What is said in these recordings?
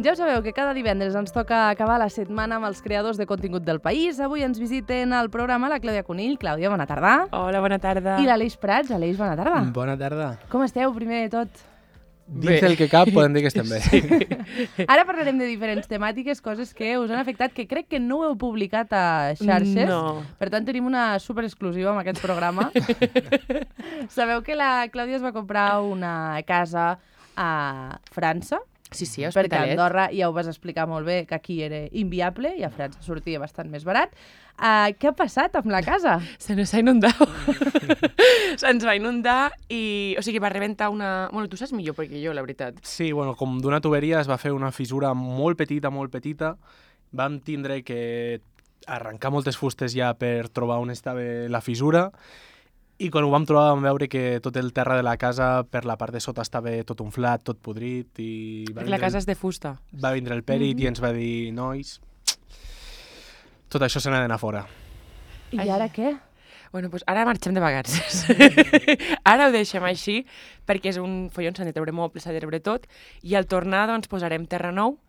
Ja ho sabeu que cada divendres ens toca acabar la setmana amb els creadors de contingut del país. Avui ens visiten al programa la Clàudia Conill. Clàudia, bona tarda. Hola, bona tarda. I l'Aleix Prats. Aleix, bona tarda. Bona tarda. Com esteu, primer de tot? Dins del que cap podem dir que estem bé. Ara parlarem de diferents temàtiques, coses que us han afectat, que crec que no ho heu publicat a xarxes. No. Per tant, tenim una superexclusiva amb aquest programa. Sabeu que la Clàudia es va comprar una casa a França? Sí, a Perquè a Hospitalet. Andorra ja ho vas explicar molt bé, que aquí era inviable i a França sortia bastant més barat. Què ha passat amb la casa? Se nos ha inundat. Se'ns va inundar i... O sigui, va rebentar una... Bueno, tu saps millor perquè jo, la veritat. Sí, bueno, com d'una tuberia es va fer una fissura molt petita. Vam tindre que arrencar moltes fustes ja per trobar on estava la fissura i quan ho vam trobar vam veure que tot el terra de la casa per la part de sota estava tot unflat, tot podrit i... Perquè la casa és de fusta. Va vindre el pèrit i ens va dir, nois, tot això se n'ha d'anar fora. I ara què? Bueno, doncs ara marxem de vacances. Ara ho deixem així, perquè és un follon, s'han de treure mobles, s'ha de treure tot, i al tornar doncs posarem terra nou,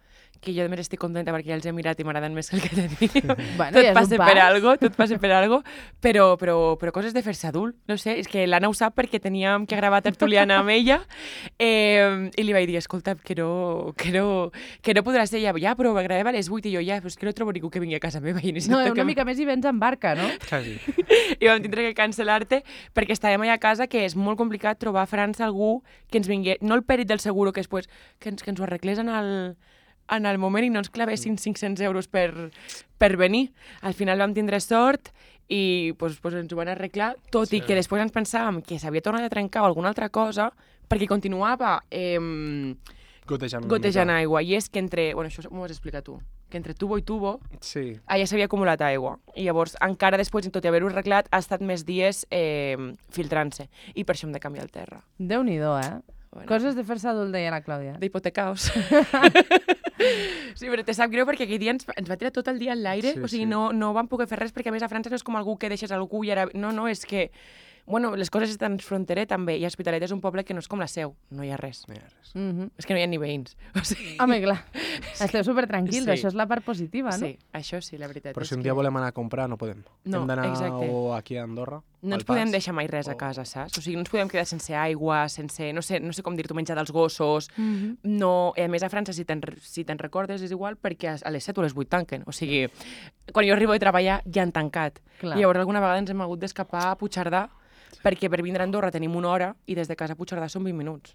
que jo també estic contenta perquè ja els he mirat i m'agraden més que el que tenim. Bueno, Tot ja és passa un per pas. algo, tot passa per algo, però coses de fer-se adult, no sé, és que l'Anna ho sap perquè teníem que gravar tertuliana amb ella i li vaig dir, escolta, que no podrà ser ja, però gravem a les 8 i jo ja, però és que no trobo ningú que vingui a casa meva. I No, una mica més i vens en barca, no? Quasi. I vam tindre que cancel·lar-te perquè estàvem allà a casa que és molt complicat trobar a França algú que ens vingui, no el pèrit del seguro, que després que ens ho arreglés en el moment i no ens clavessin 500 euros per venir. Al final vam tindre sort i pues, ens ho van arreglar, tot i que després ens pensàvem que s'havia tornat a trencar o alguna altra cosa perquè continuava gotejant aigua. I és que entre... Bueno, això m'ho has explicat tu. Que entre tubo i tubo Sí. allà s'havia acumulat aigua. I llavors, encara després, tot i haver-ho arreglat, ha estat més dies filtrant-se. I per això hem de canviar el terra. Déu-n'hi-do, eh? Bueno. Coses de fer-se adult, deia la Clàudia. D'hipotecaos. Sí, però te sap greu perquè aquell dia ens va tirar tot el dia en l'aire, Sí, o sigui, sí. no vam poder fer res, perquè a més a França no és com algú que deixes algú i ara... No, és que... Bueno, les coses estan fronterer també, i Hospitalet és un poble que no és com la Seu, no hi ha res. És que no hi ha ni veïns. O sigui... Home, clar, esteu supertranquils, Sí. això és la part positiva, no? Sí, això sí, la veritat. Però és si un que dia volem anar a comprar no podem. No, Hem d'anar exacte. o aquí a Andorra, No ens al pas, podem deixar mai res a casa, saps? O sigui, no ens podem quedar sense aigua, sense... No sé com dir-t'ho, menjar dels gossos... No, a més a França, si te'n recordes, és igual perquè a les 7 o a les 8 tanquen. O sigui, quan jo arribo a treballar ja han tancat. Clar. I llavors alguna vegada ens hem hagut d'escapar a Puigcerdà perquè per vindre a Andorra tenim 1 hora i des de casa a Puigcerdà són 20 minuts.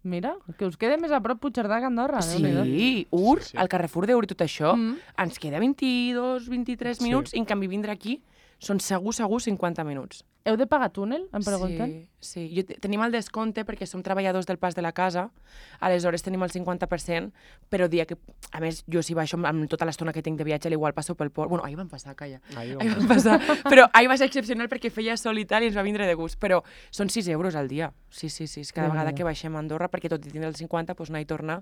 Mira, que us queda més a prop Puigcerdà que Andorra. Déu-n'hi-do. Sí, Ur, Sí. al Carrefour d'Ur i tot això, ens queda 22, 23 minuts i en canvi vindre aquí són segur 50 minuts. Heu de pagar túnel, em pregunten? Sí. Tenim el descompte perquè som treballadors del pas de la casa, aleshores tenim el 50%, però dia que, a més, jo si baixo amb tota l'estona que tinc de viatge, igual passo pel port. Bueno, ahir vam passar, calla. Ahir Ahir vam passar. Però ahir va ser excepcional perquè feia sol i tal i ens va vindre de gust, però són 6 euros al dia. Sí, és cada vegada que baixem a Andorra, perquè tot i tindre el 50, doncs anar i tornar.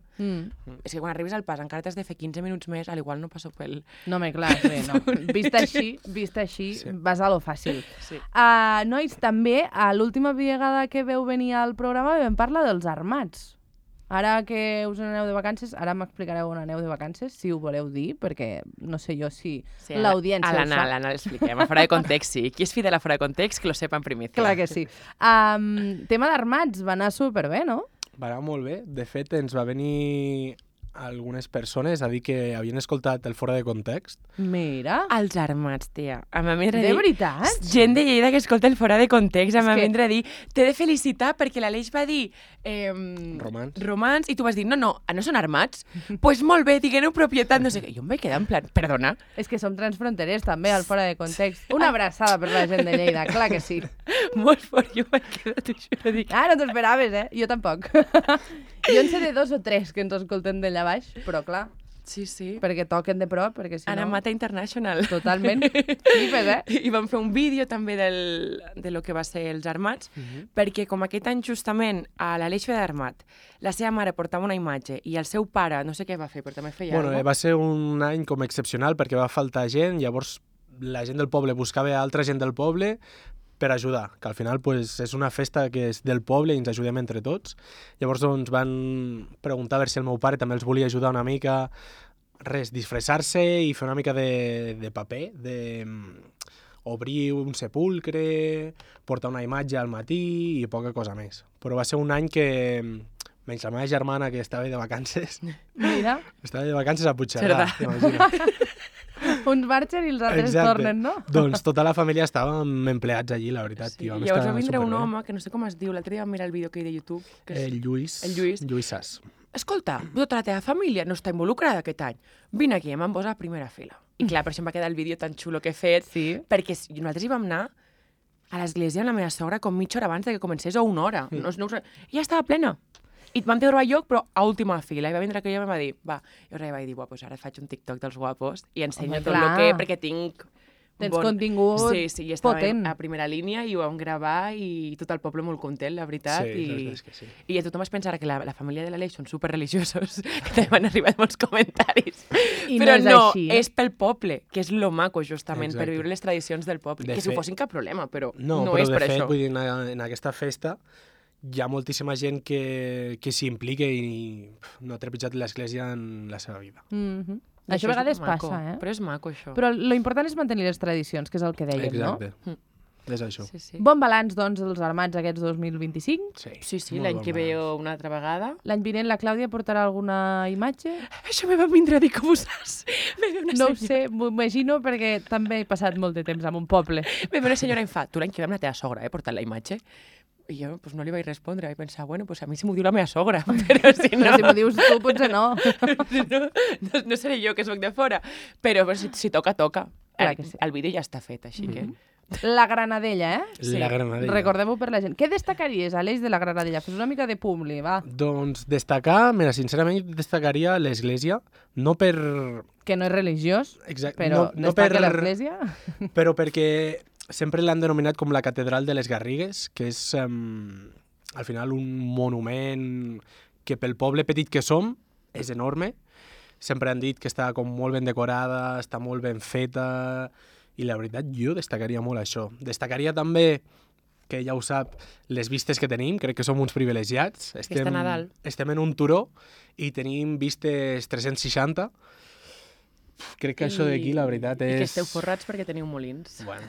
És que quan arribes al pas encara t'has de fer 15 minuts més, al igual no passo pel... No, home, clar, sí, no. Vist així, Sí. vas a lo fàcil. Sí. Nois, també, a l'última vegada que veu venir al programa vam parlar dels armats. Ara que us aneu de vacances, ara m'explicareu on aneu de vacances, si ho voleu dir, perquè no sé jo si l'audiència ho sap. A l'Anna l'expliquem, a fora de context, sí. Qui és fidel a fora de context, que lo sepa en primicia. Clar que sí. Tema d'armats, va anar superbé, no? Va anar molt bé. De fet, ens va venir algunes persones a dir que havien escoltat el fora de context. Mira, Els armats, tia. Em va vindre a de dir... veritat? Gent de Lleida que escolta el fora de context, em va És que- vindre a dir t'he de felicitar perquè l'Aleix va dir Romans. i tu vas dir no són armats? Doncs pues molt bé, digueu propietat, no sé què. Jo em vaig quedar en plan, perdona? És que som transfronterers també, al fora de context. Una abraçada per la gent de Lleida, clar que sí. Molt fort, jo em vaig quedar, t'ho juro, dic... Ah, no t'ho esperaves, eh? Jo tampoc. Jo en sé de 2 o 3 que ens escolten d'allà baix, però clar, Sí. perquè toquen de prop, perquè si Anna no... Mata International. Totalment. Flipes, eh? I vam fer un vídeo també de lo que va ser els armats, perquè com aquest any justament a l'Aleix feia d'armat, la seva mare portava una imatge i el seu pare, no sé què va fer, però també feia Bueno, alguna va ser un any com excepcional perquè va faltar gent, llavors la gent del poble buscava altra gent del poble per ajudar, que al final pues, és una festa que és del poble i ens ajudem entre tots. Llavors doncs, van preguntar a veure si el meu pare també els volia ajudar una mica, disfressar-se i fer una mica de paper, obrir un sepulcre, portar una imatge al matí i poca cosa més. Però va ser un any que, menys la meva germana, que estava de vacances, Mira, estava de vacances a Puigcerdà, t'imagines. uns marxen i els altres Exacte. tornen, no? Doncs tota la família estàvem empleats allí, la veritat. Sí. I vam Llavors estar va vindre un superbé. home, que no sé com es diu, l'altre dia vam mirar el vídeo que hi de YouTube. Que és... El Lluís. El Lluís. Lluís Sas. Escolta, tota la teva família no està involucrada aquest any. Vine aquí, em van posar a primera fila. I clar, per això em va quedar el vídeo tan xulo que he fet, Sí. perquè nosaltres hi vam anar a l'església amb la meva sogra com mitja hora abans de que comencés o una hora. I ja estava plena. I vam trobar lloc, però a última fila. I va vindre aquell home i em va dir, va, jo vaig dir, pues ara faig un TikTok dels guapos i ensenyo Home, tot clar. el que... perquè tinc... Tens contingut Sí, i estava potent. a primera línia i ho vam gravar i tot el poble molt content, la veritat. Sí, la I... veritat és que sí. I tothom es pensarà que la família de l'Aleix són superreligiosos, que també m'han arribat molts comentaris. I no Però és així, eh? és pel poble, que és lo maco, justament, Exacte. per viure les tradicions del poble. De que si ho fet- fossin cap problema, però No, no però és de per fet, això. vull dir, en aquesta festa hi ha moltíssima gent que s'hi implica i no ha trepitjat l'església en la seva vida. Mhm. I Això a és vegades maco, passa, eh? Però és maco, això. Però lo important és mantenir les tradicions, que és el que dèiem, Exacte. Mm. És això. Sí, sí. no? Bon balanç, doncs, dels armats aquests 2025. Sí, sí, molt l'any bon que balanç. ve una altra vegada. L'any vinent la Clàudia portarà alguna imatge? Això me va vindre a dir com ho saps. Me ve una No ho senyora, sé, m'ho imagino perquè també he passat molt de temps en un poble. me ve una senyora i em fa, tu l'any que ve amb la teva sogra, portant la imatge? I jo pues, no li vaig respondre, vaig pensar, bueno, pues a mi si m'ho diu la meva sogra, però si no... Però si m'ho dius tu, potser no. no seré jo que soc de fora, però si toca, toca. Clar que sí. El vídeo ja està fet, així que... La Granadella, eh? Sí. La Granadella. Recordem-ho per la gent. Què destacaries, Aleix, de la Granadella? Fes una mica de publi, va. Doncs destacar, mira, sincerament destacaria l'església, no per... Que no és religiós, Exacte, però no destaca per... l'església. Però perquè sempre l'han denominat com la catedral de les Garrigues, que és al final un monument que pel poble petit que som és enorme. Sempre han dit que està com molt ben decorada, està molt ben feta, i la veritat jo destacaria molt això. Destacaria també, que ja ho sap, les vistes que tenim, crec que som uns privilegiats. Festa Nadal. Estem en un turó i tenim vistes 360. Crec que això d'aquí, la veritat, és... I que esteu forrats perquè teniu molins. Bueno,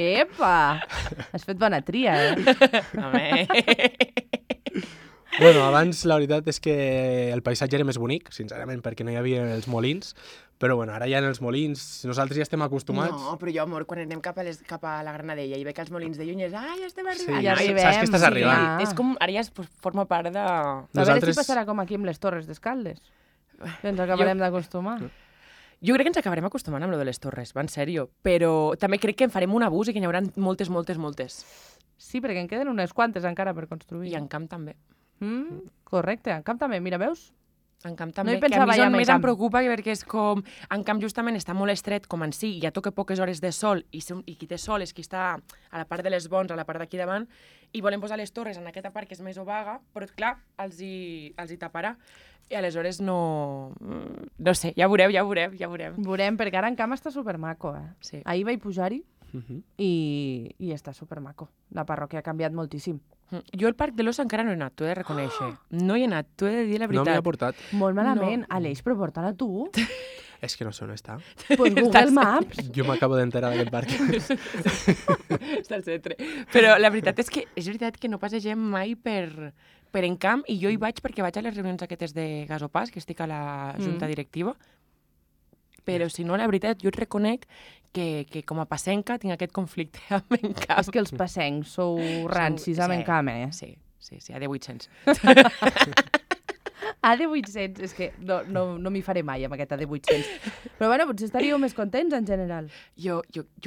Epa! Has fet bona tria, eh? Home. bueno, abans la veritat és que el paisatge era més bonic, sincerament, perquè no hi havia els molins, però bueno, ara ja en els molins nosaltres ja estem acostumats. No, però jo, amor, quan anem cap a la Granadella i veig els molins de lluny és ja estem Sí, arribant. ja arribem, saps que estàs sí. arribant. Ah. És com, ara ja forma part de... A veure Nosaltres- si passarà com aquí amb les Torres d'Escaldes. Que ens acabarem d'acostumar. Jo crec que ens acabarem acostumant amb lo de les torres, va en sèrio, però també crec que en farem un abús i que n'hi haurà moltes. Sí, perquè en queden unes quantes encara per construir. I en camp també. Correcte, en camp també, mira, veus? En camp No també, hi que a pensava mi és ja on en més camp. em preocupa perquè és com... En camp justament està molt estret com en si, i ja toca poques hores de sol, i qui té sol és qui està a la part de les bons, a la part d'aquí davant, i volen posar les torres en aquesta part que és més obaga, però clar, els hi taparà. I aleshores no... No sé, ja veurem. Veurem, perquè ara en camp està supermaco, eh? Sí. Ahir vaig pujar-hi Mhm. i està supermaco. La parròquia ha canviat moltíssim. Jo al Parc de l'Os encara no he anat, t'ho he de reconèixer. No hi he anat, t'ho he de dir la No m'hi veritat. ha portat. Molt malament. Aleix, però porta-la tu. És que no sé on està. Pues Google Maps. Jo m'acabo d'enterar d'aquest parc. Està al centre. Però la veritat és veritat que no passegem mai per Encamp, i jo hi vaig perquè vaig a les reunions aquestes de Gasopàs, que estic a la junta directiva, però si no, la veritat, jo et reconec que com a passenca tinc aquest conflicte amb Encamp. És que els passencs sou rancis amb en camp, eh? Sí, a de 800. AD800, és que no m'hi faré mai amb aquest AD800. Però bueno, potser estaríeu més contents en general. Jo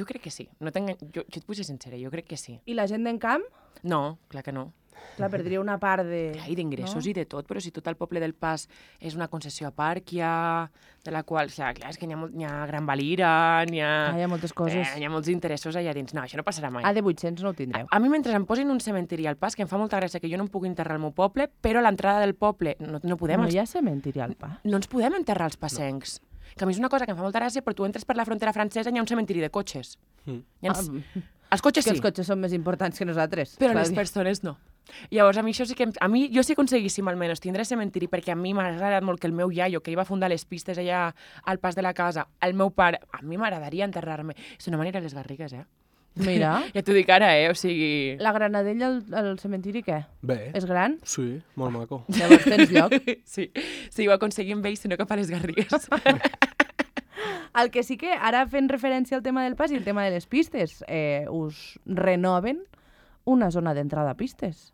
crec que sí. No jo et vull ser sincera, jo crec que sí. I la gent d'en camp? No, clar que no. Clar, perdria una part de... Clar, i d'ingressos no? i de tot, però si tot el poble del Pas és una concessió a parc, de la qual, clar, és que hi ha Gran Valira, hi ha moltes coses. hi ha molts interessos allà dins. No, això no passarà mai. AD800 no ho tindreu. A mi, mentre em posin un cementiri al Pas, que em fa molta gràcia que jo no em pugui enterrar al meu poble, però a l'entrada del poble no podem... No hi ha cementiri al pas. No ens podem enterrar els passencs. Que a mi és una cosa que em fa molta gràcia, però tu entres per la frontera francesa i hi ha un cementiri de cotxes. Hi ha... Els cotxes que sí, els cotxes són més importants que nosaltres. però les Clàudia. persones no. Llavors, a mi això sí que... A mi, jo sí aconseguíssim almenys tindre cementiri, perquè a mi m'ha agradat molt que el meu iaio, que iba fundar les pistes allà al pas de la casa, el meu pare, a mi m'agradaria enterrar-me. Si no m'aniré a les Garrigues, Mira, Ja t'ho dic ara, o sigui... la Granadella al cementiri què? Bé, És gran? sí, molt maco. Llavors tens lloc. Sí, ho aconseguim bé, sinó cap a les Garrigues. El que sí que, ara fent referència al tema del pas i el tema de les pistes, us renoven una zona d'entrada a pistes.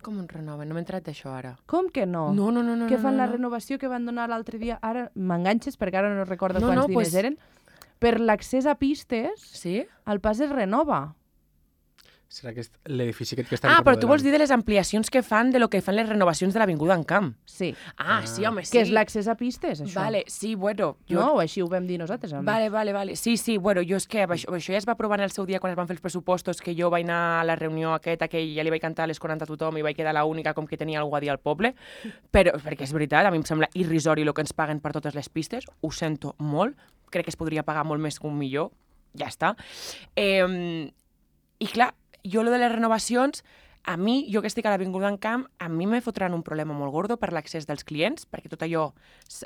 Com un renoven? No m'he entrat d'això ara. Com que no? No. Què fan no, la no. renovació que van donar l'altre dia? Ara m'enganxes perquè ara no recordo No, quants no, diners pues- eren. Per l'accés a pistes, Sí? el pas es renova. Serà que l'edifici aquest que estan Ah, però tu vols remodelant. dir de les ampliacions que fan de lo que fan les renovacions de l'Avinguda en Camp. Sí. Ah, sí, home, sí. Que és l'accés a pistes, això. Vale, sí, bueno. No? O així ho vam dir nosaltres. almenys. Vale. Sí, bueno, jo és que això ja es va aprovar en el seu dia quan es van fer els pressupostos, que jo vaig anar a la reunió aquesta, que ja li vaig cantar a les 40 a tothom i vaig quedar l'única com que tenia algú a dir al poble, però perquè és veritat, a mi em sembla irrisori el que ens paguen per totes les pistes, ho sento molt, crec que es podria pagar molt més que un milió, ja està. I clar, jo lo de les renovacions, a mi, jo que estic a l'Avinguda en Camp, a mi me fotran un problema molt gordo per l'accés dels clients, perquè tot allò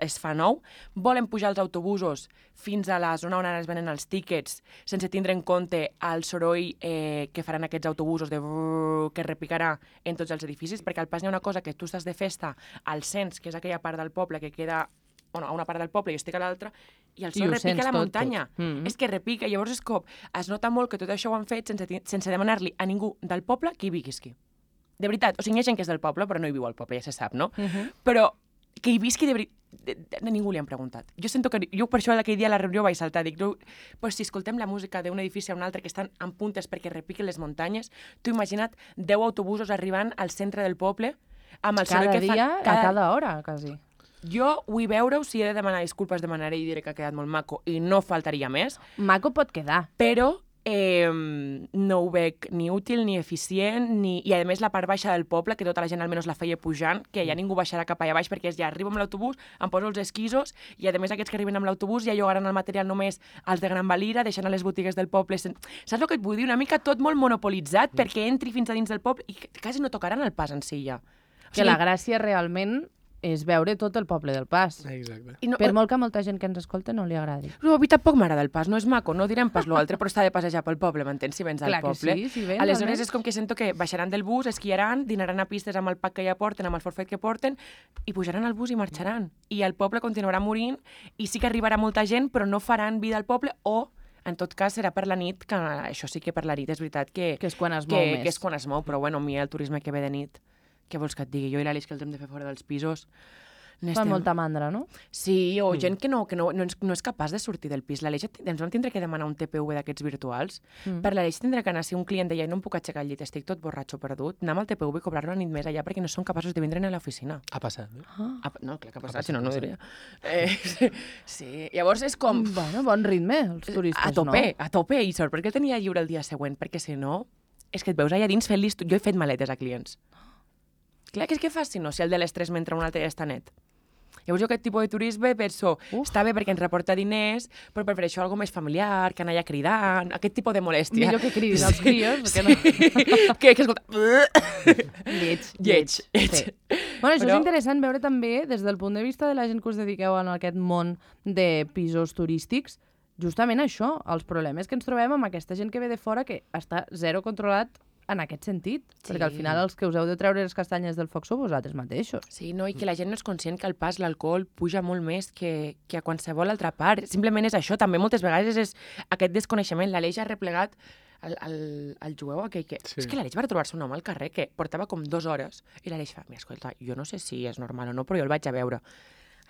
es fa nou. Volen pujar els autobusos fins a la zona on ara es venen els tíquets, sense tindre en compte el soroll que faran aquests autobusos de brrr, que repicarà en tots els edificis, perquè al pas hi ha una cosa que tu estàs de festa al Cens, que és aquella part del poble que queda a una part del poble i jo estic a l'altra, i el I sol ho repica sents a la tot, muntanya. tot. Mm-hmm. És que repica, llavors és com, es nota molt que tot això ho han fet sense demanar-li a ningú del poble que hi visqui. De veritat, o sigui, hi ha gent que és del poble, però no hi viu al poble, ja se sap, no? Però que hi visqui de veritat, a ningú li han preguntat. Jo sento que, jo per això aquell dia a la reunió vaig saltar, dic, pues si escoltem la música d'un edifici a un altre que estan en puntes perquè repiquen les muntanyes, tu imagina't 10 autobusos arribant al centre del poble amb el soroll Cada que dia, fan... a cada hora, quasi. Jo vull veure-ho, si he de demanar disculpes, demanaré i diré que ha quedat molt maco i no faltaria més, Maco pot quedar. però no ho veig ni útil, ni eficient, i a més la part baixa del poble, que tota la gent almenys la feia pujant, que ja ningú baixarà cap allà baix perquè ja arribo amb l'autobús, em poso els esquisos i a més aquests que arriben amb l'autobús ja llogaran el material només als de Gran Valira, deixant a les botigues del poble. Saps el que et vull dir? Una mica tot molt monopolitzat perquè entri fins a dins del poble i quasi no tocaran el pas en si ja. Que la gràcia realment és veure tot el poble del Pas. Exacte. I no, Per molt que a molta gent que ens escolta no li agradi. Però a mi tampoc m'agrada el pas, no és maco, no direm pas l'altre, però està de passejar pel poble, m'entens, si vens al Clar que poble. sí, si vens, Aleshores almenys. és com que sento que baixaran del bus, esquiaran, dinaran a pistes amb el pack que ja porten, amb el forfait que porten, i pujaran al bus i marxaran. I el poble continuarà morint, i sí que arribarà molta gent, però no faran vida al poble, o en tot cas serà per la nit, que això sí que per la nit és veritat que Que és quan es mou més. que és quan es mou, però bueno, a mi el turisme que ve de nit, què vols que et digui? Jo i l'Aleix que el hem de fer fora dels pisos, Fa molta mandra, no? Sí, o gent que no és capaç de sortir del pis. L'Aleix ens vam tindre que demanar un TPV d'aquests virtuals. Per l'Aleix tindrà que anar, si un client deia no em puc aixecar al llit, estic tot borratxo perdut, anar amb el TPV i cobrar-lo la nit més allà perquè no són capaços de vindre a l'oficina. Ha passat, eh? No, clar que ha passat, si no, no ho diria. Sí, llavors és com... Bueno, bon ritme, els turistes, A tope, no? a tope, i sort perquè el tenia lliure el dia següent, perquè si no, és que et veus allà dins fent-li... Jo he fet maletes a clients. Clar, que és que fas si no, si el de les 3 mentre un altre ja està net. Llavors jo aquest tipus de turisme penso, està bé perquè ens reporta diners, però prefereixo algo més familiar, que anar allà cridant, aquest tipus de molèstia. Millor que cridin els crios, perquè no... que escolta... Lleig. Lleig. Bueno, això Però- és interessant veure també des del punt de vista de la gent que us dediqueu a aquest món de pisos turístics, justament això, els problemes que ens trobem amb aquesta gent que ve de fora que està zero controlat en aquest sentit, perquè al final els que us heu de treure les castanyes del foc sou vosaltres mateixos. Sí, no, i que la gent no és conscient que al pas l'alcohol puja molt més que a qualsevol altra part. Simplement és això, també moltes vegades és aquest desconeixement. L'Aleix ha replegat el jueu aquell que... Sí. És que l'Aleix va trobar-se un home al carrer que portava com 2 hores i l'Aleix fa, mira, escolta, jo no sé si és normal o no, però jo el vaig a veure.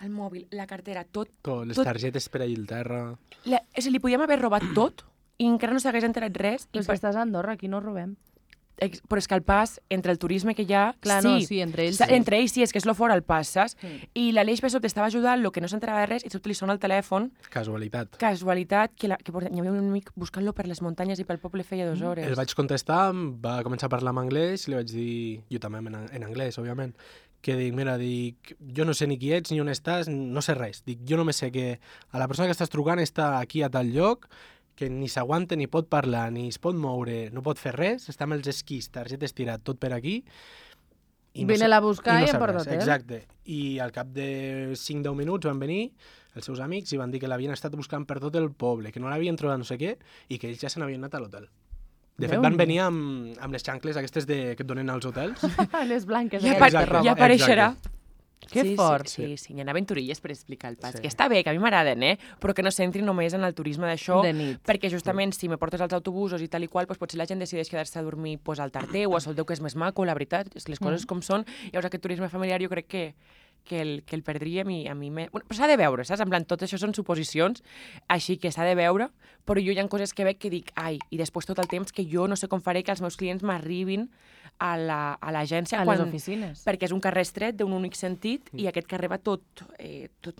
El mòbil, la cartera, tot... Les targetes per allà al terra... És a dir, li podíem haver robat tot i encara no s'hagués enterat res. Però és que estàs a Andorra, aquí no robem. Però és que el pas, entre el turisme que hi ha... Clar, no, sí, entre ells sí. Entre ells sí, és que és lo fora el pas, saps? I l'Aleix per sobte estava ajudant, el que no s'enterava de res, i sobte li sona el telèfon. Casualitat. Casualitat, que hi havia un amic buscant-lo per les muntanyes i pel poble feia 2 hores. El vaig contestar, va començar a parlar en anglès, li vaig dir, jo també en anglès, òbviament, que dic, mira, jo no sé ni qui ets ni on estàs, no sé res. Dic, jo només sé que a la persona que estàs trucant està aquí a tal lloc que ni s'aguanta, ni pot parlar, ni es pot moure, no pot fer res, està amb els esquís, targeta estirat, tot per aquí. Vine-la a buscar i em sap porta res. hotel. Exacte. I al cap de 5-10 minuts van venir els seus amics i van dir que l'havien estat buscant per tot el poble, que no l'havien trobat no sé què, i que ells ja se n'havien anat a l'hotel. De fet, van venir amb les xancles aquestes que et donen als hotels. Les blanques. Ja, aquestes de roba. ja apareixerà. Que fort. Sí, hi ha aventurilles per explicar el pas. Que està bé, que a mi m'agraden, però que no s'entri només en el turisme d'això, De nit. perquè justament si me portes als autobusos i tal i qual, doncs potser la gent decideix quedar-se a dormir al Tarteu o a Soldeu, que és més maco, la veritat, és que les coses com són. Llavors aquest turisme familiar jo crec que el perdríem i a mi... Bueno, però s'ha de veure, saps? En plan, tot això són suposicions, així que s'ha de veure, però jo hi ha coses que veig que dic, ai, i després tot el temps que jo no sé com faré que els meus clients m'arribin a l'agència. A les oficines. Perquè és un carrer estret d'un únic sentit i aquest carrer va tot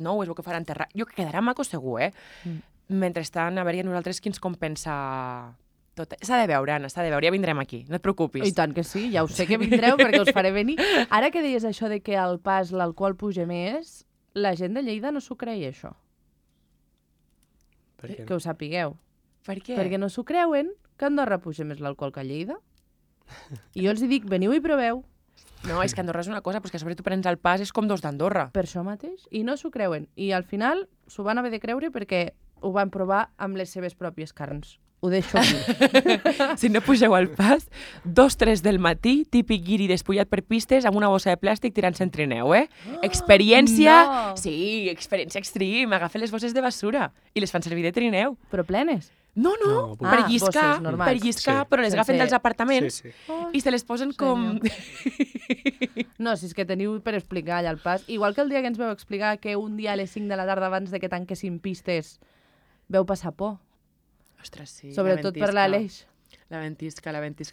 nou, és el que faran terra. Jo que quedarà maco segur, Mentrestant, a veure nosaltres qui ens compensa tot. S'ha de veure, Anna, s'ha de veure, ja vindrem aquí, no et preocupis. I tant que sí, ja ho sé que vindreu perquè us faré venir. Ara que deies això de que al pas l'alcohol puja més, la gent de Lleida no s'ho creia, això. Per què? Que ho sapigueu. Per què? Perquè no s'ho creuen que a Andorra puja més l'alcohol que a Lleida. I jo els dic, veniu i proveu. No, és que Andorra és una cosa, però és que sobre tu prens el pas és com dos d'Andorra. Per això mateix. I no s'ho creuen. I al final s'ho van haver de creure perquè ho van provar amb les seves pròpies carns. Ho deixo aquí. Si no pugeu al pas, 2-3 del matí, típic guiri despullat per pistes amb una bossa de plàstic tirant-se en trineu, Experiència... No! Sí, experiència extreme. Agafen les bosses de basura i les fan servir de trineu. Però plenes. No, No, per Ah, lliscar, bosses normals. per lliscar, Sí. però les agafen Sense- dels apartaments Sí. i se les posen com... No, si és que teniu per explicar allà el pas. Igual que el dia que ens vau explicar que un dia a les 5 de la tarda abans de que tanquessin pistes veu passar por. Ostres, sí. Sobretot per l'Aleix. La ventisca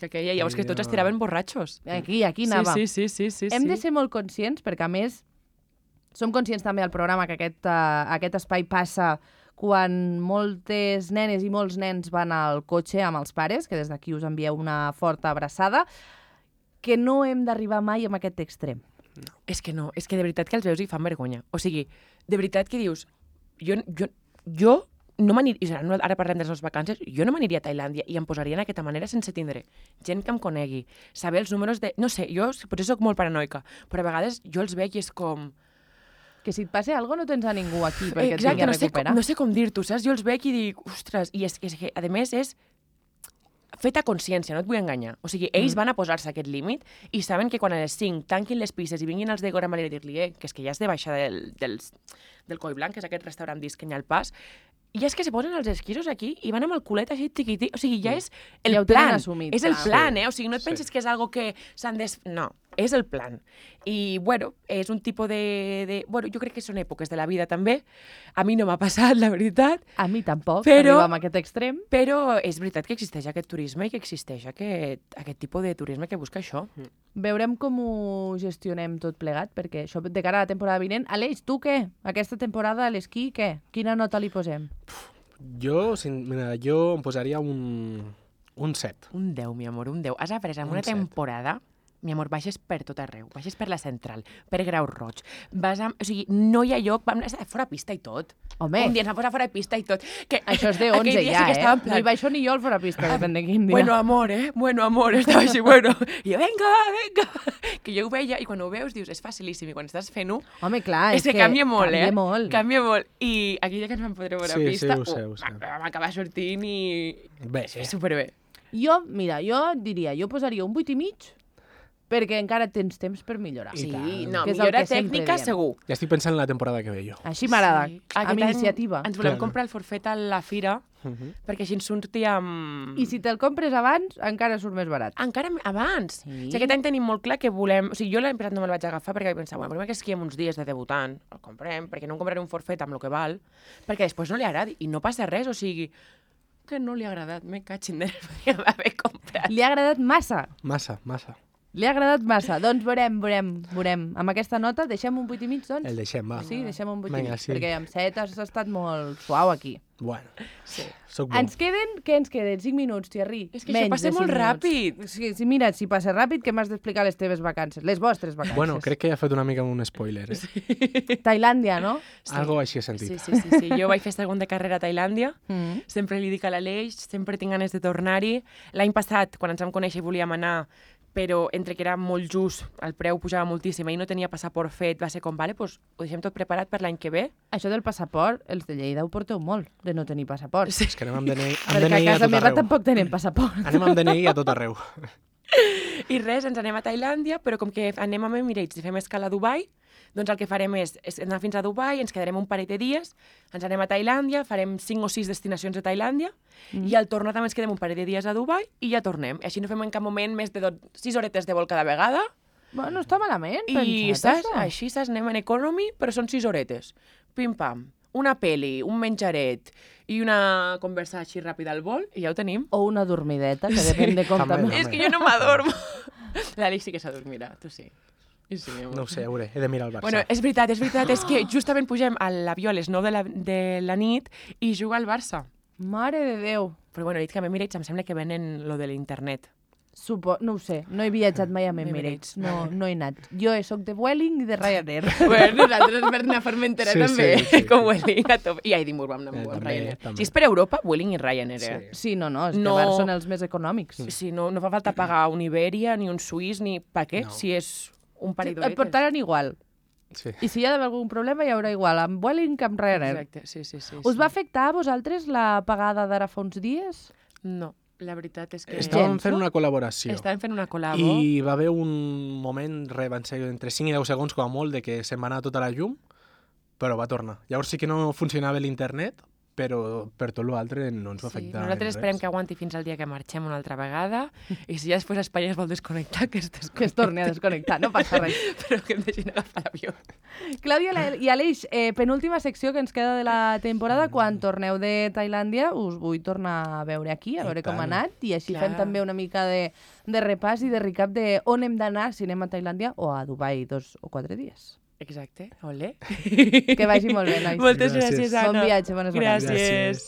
que hi ha. Llavors que tots es tiraven borratxos. Aquí anava. Sí. Hem de ser molt conscients, perquè a més som conscients també al programa que aquest espai passa quan moltes nenes i molts nens van al cotxe amb els pares, que des d'aquí us envieu una forta abraçada, que no hem d'arribar mai a aquest extrem. És que no, és que de veritat que els veus i fan vergonya. O sigui, de veritat que dius, jo no m'aniria, ara parlem de les nostres vacances, jo no m'aniria a Tailàndia i em posaria en aquesta manera sense tindre gent que em conegui, saber els números de... No sé, jo potser soc molt paranoica, però a vegades jo els veig i és com... Que si et passa alguna cosa no tens a ningú aquí perquè et Exacte, vingui a recuperar. no sé com dir-t'ho, saps? Jo els veig i dic, ostres, i és que a més és fet a consciència, no et vull enganyar. O sigui, ells van a posar-se aquest límit i saben que quan a les 5 tanquin les pistes i vinguin els de Gora Malera a dir-li que és que ja has de baixar del Coi Blanc, que és aquest restaurant disc que hi ha al pas, i és que se posen els esquisos aquí i van amb el culet així tiquití. O sigui, ja és el Ja ho tenen plan. assumit, És el clar. plan, O sigui, no et Sí. penses que és algo que s'han No, és el plan. I, bueno, és un tipus Bueno, jo crec que són èpoques de la vida, també. A mi no m'ha passat, la veritat, A mi tampoc, Però- arribar a aquest extrem. però és veritat que existeix aquest turisme i que existeix aquest tipus de turisme que busca això. Veurem com ho gestionem tot plegat, perquè això de cara a la temporada vinent... Aleix, tu què? Aquesta temporada a l'esquí, què? Quina nota li posem? Jo em posaria un 7. Un 10, mi amor, un 10. Has après en Un una set. temporada, mi amor, baixes per tot arreu. Baixes per la central, per Grau Roig. O sigui, no hi ha lloc... Vam anar fora pista i tot. Home. Un dia ens vam posar fora pista i tot. Que, Això és de aquell 11 dia ja, sí que estava en No hi baixo ni jo al fora pista, depèn de quin dia. Bueno, amor, Bueno, amor, estava així, bueno. I jo, venga. Que jo ho veia, i quan ho veus dius, és facilíssim, i quan estàs fent-ho, Home, clar, és que canvia molt, canvia molt. Canvia molt. I aquell dia que ens vam poder veure a Sí, pista, sí, ho sé. vam acabar sortint i... Bé, Superbé. Jo diria, jo posaria un 8,5 perquè encara tens temps per millorar. Sí, tant. no, Que és el millora que sempre tècnica diem. segur. ja estic pensant en la temporada que ve jo. Així m'agrada, Sí. amb Aquest any iniciativa. Ens volem Clar. comprar el forfet a la fira, perquè així ens surti amb... I si te'l compres abans, encara surt més barat. Encara abans. Sí. O sigui, aquest any tenim molt clar que volem... O sigui, jo l'any passat no me'l vaig agafar perquè vaig pensar, bueno, primer que esquiem uns dies de debutant, el comprem, perquè no em compraré un forfet amb el que val, perquè després no li agradi. I no passa res, o sigui, que no li ha agradat. Me catxin de podríem haver comprat. Li ha agradat massa. Massa. Li ha agradat massa. Doncs veurem. Amb aquesta nota deixem un 8 i mig, doncs? El deixem, va. Sí, deixem un 8 i Vinga, mig, sí. perquè amb 7 has estat molt suau aquí. Bueno, Sí. soc bo. Què ens queden? 5 minuts, Thierry. És que això passa molt ràpid. Sí, mira, si passa ràpid, que m'has d'explicar les teves vacances, les vostres vacances. Bueno, crec que ja he fet una mica un spoiler, eh? Tailàndia, no? Sí. Algo així he sentit. Sí. Jo vaig fer segon de carrera a Tailàndia. Mm. Sempre li dic a l'Aleix, sempre tinc ganes de tornar-hi. L'any passat, quan ens vam conèixer, volíem anar, però entre que era molt just, el preu pujava moltíssim i no tenia passaport fet, va ser com, vale, doncs ho deixem tot preparat per l'any que ve. Això del passaport, els de Lleida ho porteu molt, de no tenir passaport. Sí. És que anem amb DNI, Perquè a casa meva tampoc tenen passaport. Anem amb DNI a tot arreu. I res, ens anem a Tailàndia, però com que anem amb Emirates i fem escala a Dubai, doncs el que farem és anar fins a Dubai, ens quedarem un parell de dies, ens anem a Tailàndia, farem 5 o 6 destinacions a Tailàndia, i al tornar també ens quedem un parell de dies a Dubai i ja tornem. Així no fem en cap moment més de 6 horetes de vol cada vegada, Bueno, no està malament, i pensat, saps? això. Així saps, anem en economy, però són 6 horetes. Pim-pam. Una peli, un menjaret i una conversa així ràpida al vol, i ja ho tenim. O una dormideta, que depèn de com També. també. És que jo no m'adormo. L'Alix sí que s'adormirà, tu sí. Sí, amor. No ho sé, he de mirar el Barça. Bueno, és veritat, és que justament pugem a l'avió a les 9 de la nit i juga al Barça. Mare de Déu. Però bueno, he dit que a Emirates em sembla que venen lo de l'internet. No ho sé, no he viatjat mai amb Emirates, no he anat. Jo soc de Vueling i de Ryanair. Bueno, nosaltres per anar a Formentera Sí, també, sí. com Vueling a top. I a Edimburg vam anar amb També, Ryanair. també. Si és per Europa, Vueling i Ryanair, eh? Sí, no, és que No. bars són els més econòmics. Sí, no fa falta pagar un Iberia, ni un Suís, ni... Per què? No. Si és un parell Et d'horetes. portaran igual. Sí. I si hi ha d'haver algun problema, hi haurà igual, amb Vueling que amb Ryanair. Exacte, sí. Us va afectar a vosaltres la pagada d'ara fa uns dies? No, la veritat és que... Estàvem gens, fent no? una col·laboració. Estàvem fent una col·labo. I va haver un moment, van ser entre 5 i 10 segons com a molt, de que se'n va anar tota la llum, però va tornar. Llavors sí que no funcionava l'internet, però per tot l'altre no ens va afectar. Nosaltres en esperem res. que aguanti fins al dia que marxem una altra vegada i si ja després Espanya es vol desconnectar, que es desconnecti. Que es torni a desconnectar, no passa res. Però que em deixin agafar l'avió. Clàudia i Aleix, penúltima secció que ens queda de la temporada. Quan torneu de Tailàndia us vull tornar a veure aquí, a veure com ha tant. anat, i així Clar. fem també una mica de repàs i de recap de on hem d'anar, si anem a Tailàndia o a Dubai 2 o 4 dies. Exacte, ole. Que vagi molt bé, nois. Moltes Gràcies. gràcies, Anna. Bon viatge, bones vacances. Gràcies.